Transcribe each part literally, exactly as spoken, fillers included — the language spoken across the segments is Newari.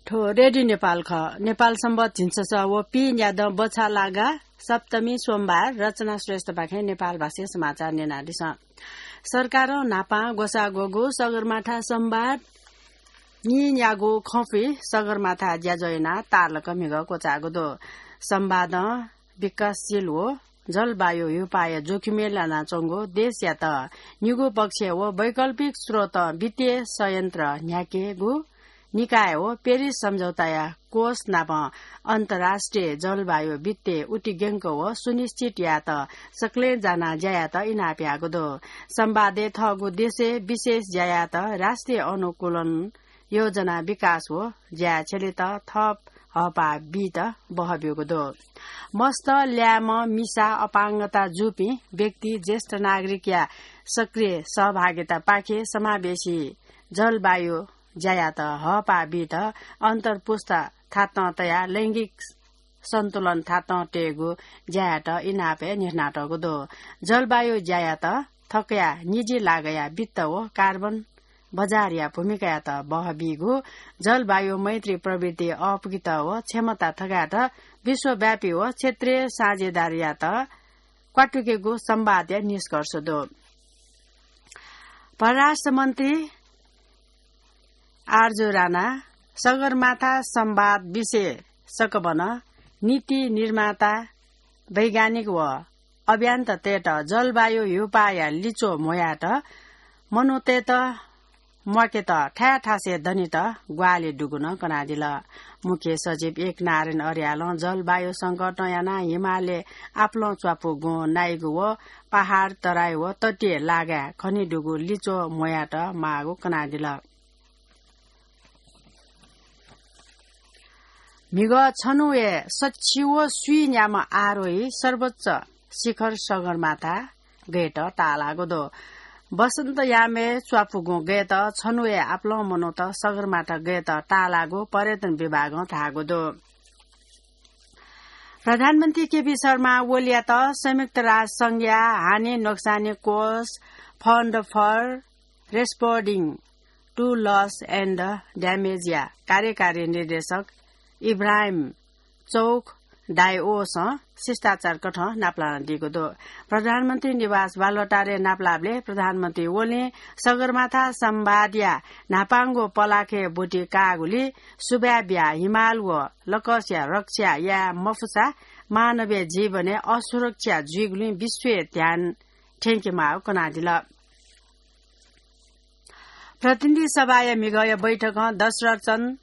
थ्व रेडियो नेपाल खः। नेपाल सम्बत झिंछसः व पीन्यादँ बछालागा सप्तमी सोमबार। रचना श्रेष्ठपाखें नेपाल भाषाय् समाचार न्यनादिसँ। सरकारं न्हापां ग्वसाः ग्वःगु सगरमाथा संवाद नीन्यागू खँपुइ सगरमाथा ज्याझ्वः यानाः ताःलाक म्हिगः क्वचाःगु दु। संवादं विकासशील व जलवायु ह्यूपाःया जोखिमय् लानाच्वंगु देशयात निगू पक्षय् व वैकल्पिक स्रोतं वित्तीय संयन्त्र न्ह्याकेगु निकाय व पेरिस सम्झौताया कोष नाप अन्तर्राष्ट्रिय जलवायु वित्तीय उतिग्यंक व सुनिश्चित यायेत सकलें जानाः ज्या यायेत इनाप याःगु दु। संवादय् थःगु देशय् विशेष ज्या यायेत राष्ट्रिय अनुकूलन योजना विकास व ज्याय् छ्यलेत थप हःपाः बीत बहःब्यूगु दु। मस्त, ल्याय्म्ह, मिसा, अपाङ्गता जूपिं व्यक्ति, ज्येष्ठ नागरिकया सक्रिय सहभागितापाखें समावेशी जलवायु ज्यायात हःपाः बीत अन्तरपुस्ता थातं तयाः लैंगिक सन्तुलन थातं तयेगु ज्यायात इनापय् न्ह्यथनातःगु दु। जलवायु ज्यायात थकया निजी लागया वित्त व कार्बन बजारया भूमिकायात बहःबीगु, जलवायु मैत्री प्रवृत्ति अःपुकेत व क्षमता थकायेत विश्वव्यापी व क्षेत्रीय साझेदारीयात क्वातुकेगु संवादया निष्कर्ष दु। परराष्ट्र मन्त्री आरजु राणा सगरमाथा संवाद विषय सकबन नीति निर्माता, वैज्ञानिक व अभियन्तातय्त जलवायु ह्यूपाःया लिच्वः म्ह्वयात मनूतय्त म्वाकेत थाय् थासय् दनेत ग्वाहालि दुगु नं कनादिल। मुख्य सचिव एक नारायण अर्यालं जलवायु संकटं यानाः हिमालय् आपालं च्वापु गुँ नाइगु व पहाड, तराई व तटीय लागाय् खनेदुगु लिच्वः म्ह्वयात माःगु कनादिल। म्हिगः छन्हुया सछि व स्वीन्याम्ह आरोही सर्वोच्च शिखर सगरमाथा गयेत ताःलाःगु दु। वसन्तयामय् च्वापु गुँ गयेत छन्हुया आपालं मनूत सगरमाथा गयेत ताःलाःगु पर्यटन विभागं धाःगु दु। प्रधानमन्त्री केपी शर्मा ओलीयात संयुक्त राष्ट्र संघया हानि नोक्सानी कोष, Fund for Responding to Loss and Damage या कार्यकारी निर्देशक इब्राहिम चौख डायोसं शिष्टाचार कथं नापलानादीगु दु। प्रधानमन्त्री निवास बालुवाटारय् नापलाःबलय् प्रधानमन्त्री ओलीं सगरमाथा संवादया न्हापांगु पलाखय् ब्वति काःगुलिं सुभाय् बियाः हिमाल व लकसया रक्षा याये मफुसा मानवीय जीवनय् असुरक्षा जुइगुलिं विश्वय् ध्यान थ्यंकेमाःगु कनादिल। प्रतिनिधि सभाया म्हिगःया बैठकं दशरथचन्द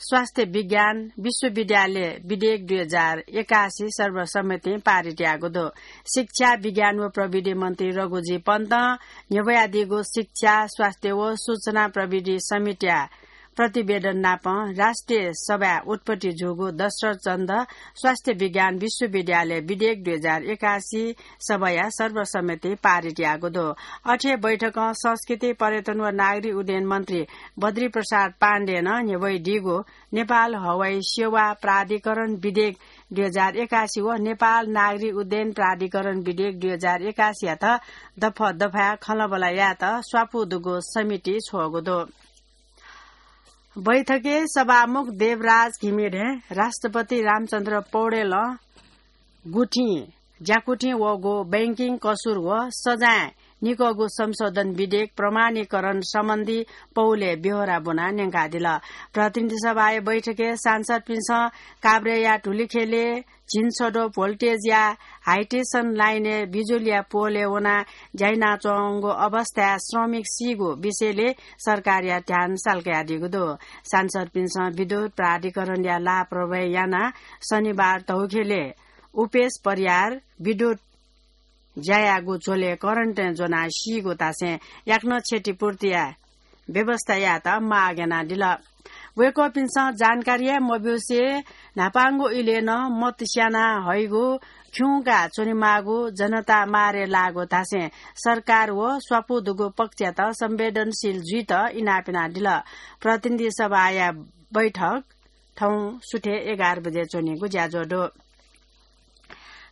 स्वास्थ्य विज्ञान विश्वविद्यालय विधेयक दुई हजार एकासी सर्वसम्मतिं पारित याःगु दु। शिक्षा, विज्ञान व प्रविधि मन्त्री रघुजी पन्तं न्ह्यब्वयादीगु शिक्षा, स्वास्थ्य व सूचना प्रविधि समितिया प्रतिवेदन नाप राष्ट्रिय सभाय् उत्पत्ति जूगु दशरथचन्द स्वास्थ्य विज्ञान विश्वविद्यालय विधेयक दुई हजार एकासी सभाया सर्वसम्मतिं पारित याःगु दु। अथे बैठकं संस्कृति, पर्यटन व नागरिक उड्डयन मन्त्री बद्री प्रसाद पाण्डें नं न्ह्यब्वयादीगु नेपाल हवाई सेवा प्राधिकरण विधेयक दुई हजार एकासी व नेपाल नागरिक उड्डयन प्राधिकरण विधेयक दुई हजार एकासीयात दफा दफाय् खँल्हाबल्हा यायेत स्वापू दुगु समिति छ्वःगु दु। बैठकय् सभामुख देवराज घिमिरें राष्ट्रपति रामचन्द्र पौडेलं गुथिं ज्याकुथिं वःगु बैंकिङ कसुर व सजाँय निकःगु संशोधन विधेयक प्रमाणीकरण सम्बन्धी पौलय् ब्यहोरा ब्वनाः न्यंकादिल। प्रतिनिधि सभाया बैठकय् सांसदपिन्सं काभ्रेया धुलिखेलय् झिंछदँ भोल्टेजया हाइटेन्सन लाइनय् बिजुलीया पोलय् वनाः ज्या यानाच्वंगु अवस्थाय् श्रमिक सीगु विषयलय् सरकारया ध्यान साल्कादीगु दु। सांसदपिन्सं विद्युत प्राधिकरणया लापरवाही यानाः शनिबार धौखेलय् उपेश परियार विद्युत ज्या याःगु झ्वलय् करेन्टय् ज्वनाः सीगु धासें याकनं क्षतिपूर्तिया व्यवस्था यायेत माग यानादिल। वय्कःपिन्सं जानकारी हे मब्यूसे न्हापांगु इलय् नं मत स्याना हइगु खिउँका च्वनेमाःगु जनता मारे लाःगु धासें सरकार व स्वापू दुगु पक्षयात संवेदनशील जुइत इनाप यानादिल। प्रतिनिधि सभाया बैठक थौं सुथय् एघार बजे च्वनीगु ज्याझ्वः दु।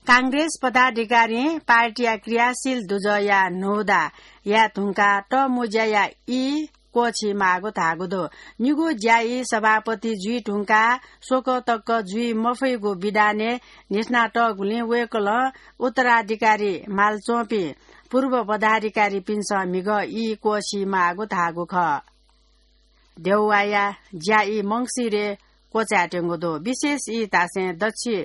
कांग्रेस पदाधिकारीं पार्टीया क्रियाशील दुजःया न्हूदा याये धुंकाः तःमुँज्याया ई क्वःछी माःगु धाःगु दु। निगू ज्यायी सभापति जुइ धुंकाः स्वकः तक जुइ मफइगु विधानय् न्हिथनातःगुलिं वय्कलं उत्तराधिकारी म्हाल च्वंपिं पूर्व पदाधिकारीपिन्सं म्हिगः ई क्वःछी माःगु धाःगु खः। देउवाया ज्यायी मंसिरे क्वचायेत्यंगु दु। विशेष ई धासें दच्छि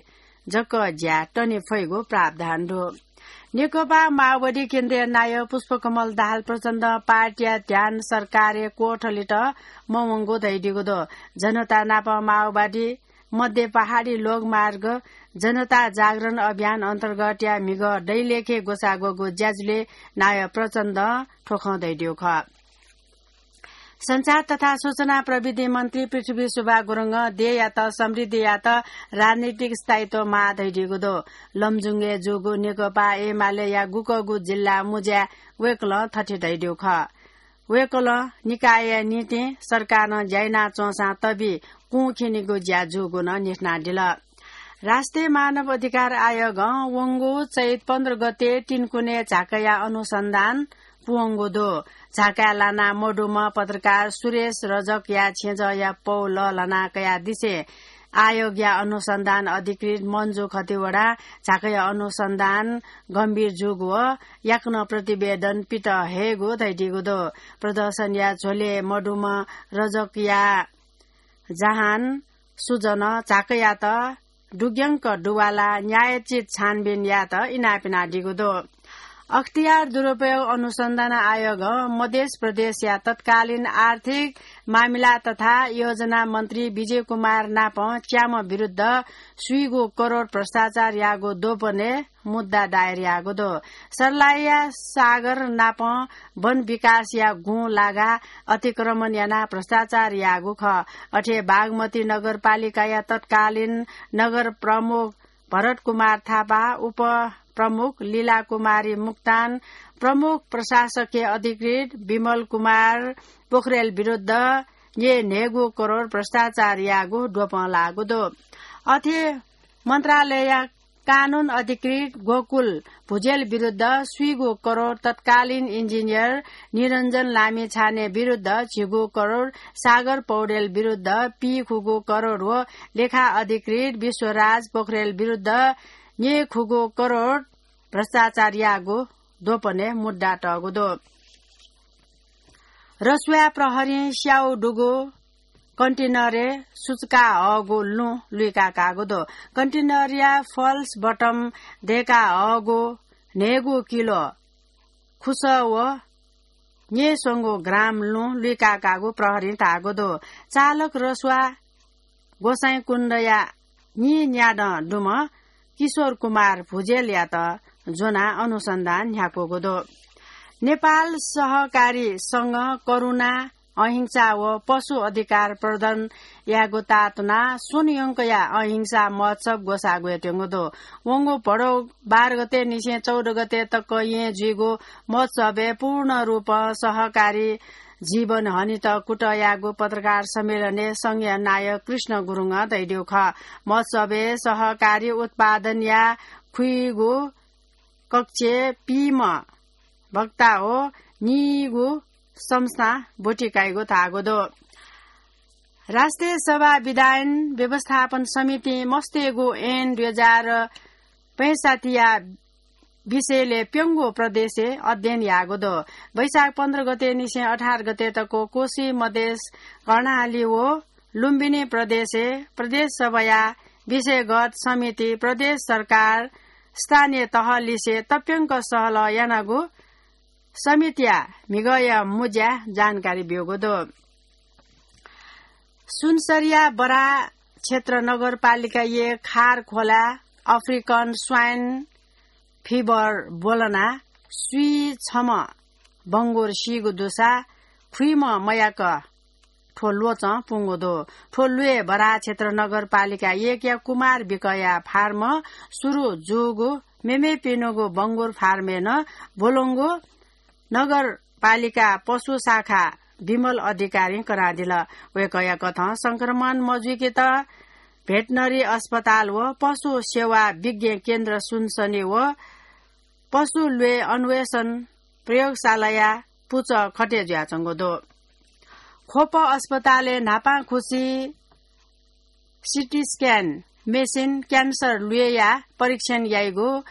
जक ज्या तने फइगु प्रावधान दु। नेकपा माओवादी केन्द्रीय नायः पुष्पकमल दाहाल प्रचण्डं पार्टीया ध्यान सरकारय् क्वथलेत मवंगु धयादीगु दु। जनता नाप माओवादी मध्य पहाडी लोकमार्ग जनता जागरण अभियान अन्तर्गतया म्हिगः दैलेखे ग्वसाः ग्वःगु ज्याझ्वलय् नायः प्रचण्डं थ्व खँ धयादीगु खः। सञ्चार तथा सूचना प्रविधि मन्त्री पृथ्वी सुब्बा गुरुङं देय्‌यात समृद्धियात राजनीतिक स्थायित्व माः धयादीगु दु। लमजुङय् जूगु नेकपा एमालेया गुकःगु जिल्ला मुँज्याय् वय्कलं थथे धयादीगु खः। वय्कलं निकायया निंतिं सरकारं ज्या यानाच्वंसां तबि कुं खिनेगु ज्या जूगु नं न्हिथनादिल। राष्ट्रिय मानव अधिकार आयोगं वंगु चैत पन्ध्र गते तिनकुने झाँकया अनुसन्धान पूवंगु दु। झाँकाय् लाना मदुम्ह पत्रकार सुरेश रजकया छेँजःया पौ लःल्हाना कयादिसें आयोगया अनुसन्धान अधिकृत मन्जु खतिवडां झाँकया अनुसन्धान गम्भीर जूगु व याकनं प्रतिवेदन पित हयेगु धयादीगु दु। प्रदर्शनया झ्वलय् मदुम्ह रजकया जहान सुजनं झाँकयात दुग्यंक दुवालाः न्यायोचित छानबिन यायेत इनाप यानादीगु दु। अख्तियार दुरुपयोग अनुसन्धान आयोगं मधेस प्रदेशया तत्कालीन आर्थिक मामिला तथा योजना मन्त्री विजय कुमार नापं च्याम्ह विरुद्ध स्वीगू करोड भ्रष्टाचार याःगु द्वपनय् मुद्दा दायर याःगु दु। सर्लाहीया सागर नापं वन विकासया गुँ लागाः अतिक्रमण यानाः भ्रष्टाचार याःगु खः। अथे बागमती नगरपालिकाया तत्कालीन नगर प्रमुख भरत कुमार थापा, उपप्रमुख लीला कुमारी मुक्तान, प्रमुख प्रशासकीय अधिकृत विमल कुमार पोखरेल विरुद्ध न्यय् न्हय्गू करोड भ्रष्टाचार याःगु द्वपं लाःगु दु। अथे मन्त्रालयया कानून अधिकृत गोकुल भुजेल विरुद्ध स्वीगू करोड तत्कालीन इन्जिनियर निरञ्जन लामिछाने विरुद्ध झिगू करोड, सागर पौडेल विरुद्ध पीखुगू करोड व लेखा अधिकृत विश्वराज पोखरेल विरुद्ध न्यय्खुगू करोड भ्रष्टाचार याःगु द्वपनय् मुद्दा तःगु दु। रसुवा प्रहरीं स्याउ दुगु कन्टेनरय् सुचुका हःगु लुँ लुइका काःगु दु। कन्टेनरया फल्स बटम दय्का हःगु न्हय्गू किलो खुसः व न्यय्स्वंगू ग्राम लुँ लुइका काःगु प्रहरीं धाःगु दु। चालक रसुवा गोसाइँकुण्डया नीन्यादँ दुम्ह किशोर कुमार भुजेलयात ज्वनाः अनुसन्धान न्ह्याकूगु दु। नेपाल सहकारी संघं करुणा, अहिंसा व पशु अधिकार प्रदान यायेगु तातुनाः स्वन्हुयंकया अहिंसा महोत्सव ग्वसाः ग्वयेत्यंगु दु। वंगु भदौ बाह्र गते निसें चौध गते तक येँ जुइगु महोत्सवय् पूर्ण रूपं सहकारी जीवन हनेत कुतः याःगु पत्रकार सम्मेलनय् संघया नायः कृष्ण गुरुङं धयादीगु खः। महोत्सवय् सहकारी उत्पादनया खुइगू कक्षय् पीम्ह वक्ता व नीगू संस्थां ब्वति काइगु धाःगु दु। राष्ट्रिय सभा विधायन व्यवस्थापन समितिं मस्तय्गू ऐन दुई हजार पैंसठ्ठीया विषयलय् प्यंगू प्रदेशय् अध्ययन याःगु दु। वैशाख पन्ध्र गते निसें अठार गते तक कोशी, मधेस, कर्णाली व लुम्बिनी प्रदेशय् प्रदेश सभाया विषयगत समिति, प्रदेश सरकार, स्थानीय तह लिसे तप्यंक सहलह यानागु समितिया म्हिगःया मुँज्याय् जानकारी ब्यूगु दु। सुनसरीया बराह क्षेत्र नगरपालिकाया खार खोलाय् अफ्रिकन स्वाइन फिभर ब्वलनाः स्वीछम्ह बंगुर सीगु दुसा खुइम्ह मयाक थ्व ल्वचं पुंगु दु। थ्व ल्वय् बराह क्षेत्र नगरपालिका एकया कुमार विकया फार्मं सुरु जूगु मेमेपिनिगु बंगुर फार्मय् नं ब्वलंगु नगरपालिका पशु शाखा विमल अधिकारीं कनादिल। वय्कःया कथं संक्रमण मजुइकेत भेटनरी अस्पताल व पशु सेवा विज्ञ केन्द्र सुनसरी व पशु ल्वय् अन्वेषण प्रयोगशालाया पुचः खटे जुयाच्वंगु दु। ख्वप अस्पतालय् न्हापांखुसी सिटी स्क्यान मेसिन, क्यान्सर ल्वय्‌या परीक्षण याइगु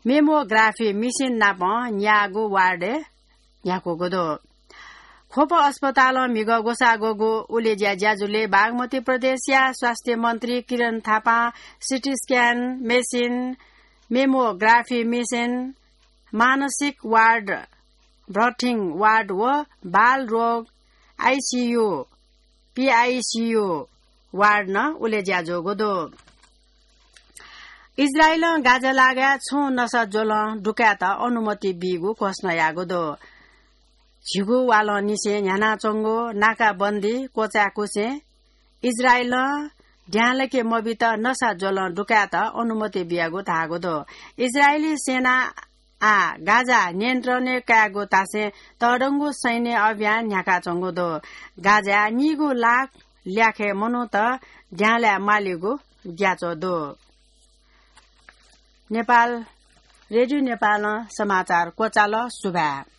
मेमोग्राफी मेसिन नाप न्याःगु वार्डय् न्ह्याकूगु दु। ख्वप अस्पतालं म्हिगः ग्वसाः ग्वःगु उलेज्या ज्याझ्वलय् बागमती प्रदेशया स्वास्थ्य मन्त्री किरण थापां CT scan machine, mammography machine, मानसिक वार्ड, बर्थिङ वार्ड व बाल रोग आइसियु, पिआइसियु वार्ड नं उलेज्या जूगु दु। इजरायलं गाजा लागाय् छुं नसा ज्वलं दुकायेत अनुमति बीगु घोषणा याःगु दु। झिगू वालंनिसें न्ह्यानाच्वंगु नाकाबन्दी क्वचाय्‌कुसें इजरायलं द्यां लाके मबीत नसा ज्वलं दुकायेत अनुमति बियागु धाःगु दु। इजरायली सेनां आः गाजा नियन्त्रणय् कायेगु धासें तःधंगु सैन्य अभियान न्ह्याकाच्वंगु दु। गाजाय् नीगू लाख ल्याखय् मनूत द्यां लाये मालीगु ग्याच्वः दु। नेपाल, रेडियो नेपालं समाचार क्वचाल। सुभाय्।